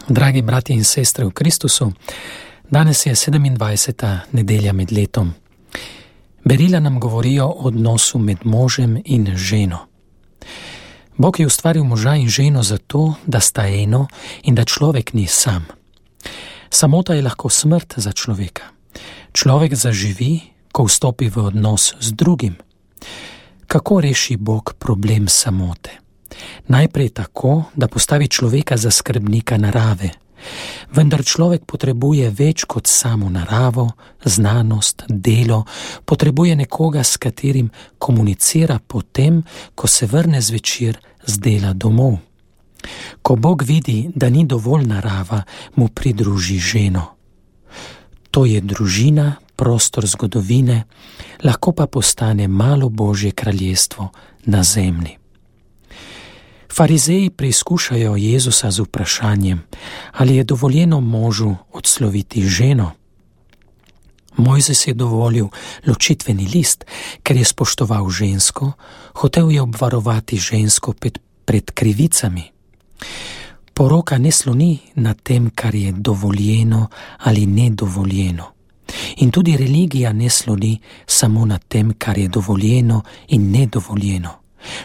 Dragi bratje in sestre v Kristusu, danes je 27. nedelja med letom. Berila nam govorijo o odnosu med možem in ženo. Bog je ustvaril moža in ženo zato, da sta eno in da človek ni sam. Samota je lahko smrt za človeka. Človek zaživi, ko vstopi v odnos z drugim. Kako reši Bog problem samote? Najprej tako, da postavi človeka za skrbnika narave. Vendar človek potrebuje več kot samo naravo, znanost, delo, potrebuje nekoga, s katerim komunicira potem, ko se vrne zvečer z dela domov. Ko Bog vidi, da ni dovolj narava, mu pridruži ženo. To je družina, prostor zgodovine, lahko pa postane malo Božje kraljestvo na zemlji. Farizeji preizkušajo Jezusa z vprašanjem, ali je dovoljeno možu odsloviti ženo. Mojzes je dovolil ločitveni list, ker je spoštoval žensko, hotel je obvarovati žensko pred krivicami. Poroka ne sloni na tem, kar je dovoljeno ali nedovoljeno. In tudi religija ne sloni samo na tem, kar je dovoljeno in nedovoljeno.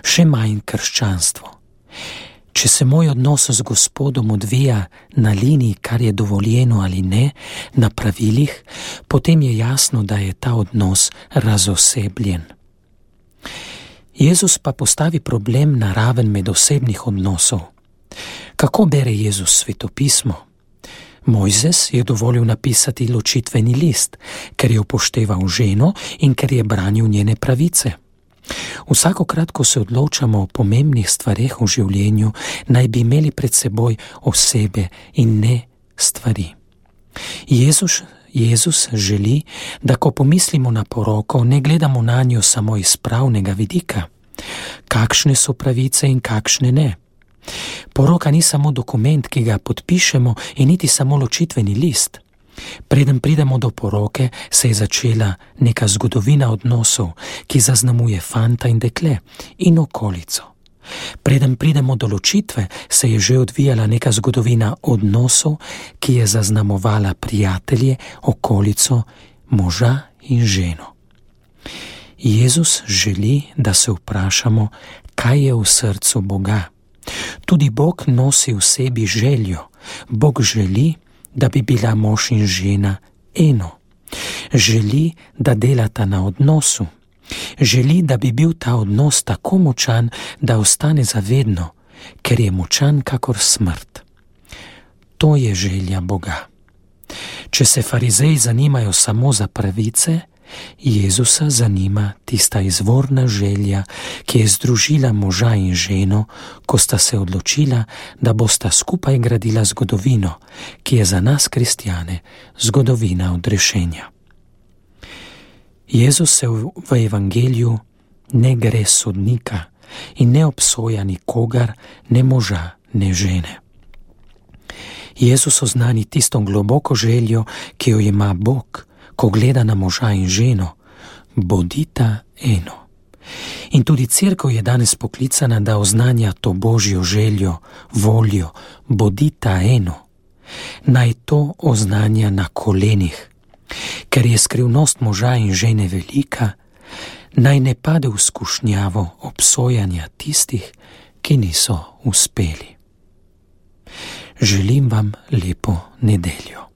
Še manj krščanstvo. Če se moj odnos z Gospodom odvija na liniji, kar je dovoljeno ali ne, na pravilih, potem je jasno, da je ta odnos razosebljen. Jezus pa postavi problem na raven medosebnih odnosov. Kako bere Jezus svetopismo? Mojzes je dovolil napisati ločitveni list, ker je upošteval ženo in ker je branil njene pravice. Vsakokrat, ko se odločamo o pomembnih stvareh v življenju, naj bi imeli pred seboj osebe in ne stvari. Jezus želi, da ko pomislimo na poroko, ne gledamo na njo samo iz pravnega vidika. Kakšne so pravice in kakšne ne. Poroka ni samo dokument, ki ga podpišemo, in niti samo ločitveni list. Preden pridemo do poroke, se je začela neka zgodovina odnosov, ki zaznamuje fanta in dekle in okolico. Preden pridemo do ločitve, se je že odvijala neka zgodovina odnosov, ki je zaznamovala prijatelje, okolico, moža in ženo. Jezus želi, da se vprašamo, kaj je v srcu Boga. Tudi Bog nosi v sebi željo. Bog želi, da bi bila mož in žena eno. Želi, da delata na odnosu. Želi, da bi bil ta odnos tako močan, da ostane zavedno, ker je močan kakor smrt. To je želja Boga. Če se farizeji zanimajo samo za pravice, Jezusa zanima tista izvorna želja, ki je združila moža in ženo, ko sta se odločila, da bosta skupaj gradila zgodovino, ki je za nas kristjane zgodovina odrešenja. Jezus se v evangeliju ne gre sodnika in ne obsoja nikogar, ne moža, ne žene. Jezus oznani tisto globoko željo, ki jo ima Bog, ko gleda na moža in ženo, bodita eno. In tudi cerkev je danes poklicana, da oznanja to Božjo željo, voljo, bodita eno. Naj to oznanja na kolenih. Ker je skrivnost moža in žene velika, naj ne pade v skušnjavo obsojanja tistih, ki niso uspeli. Želim vam lepo nedeljo.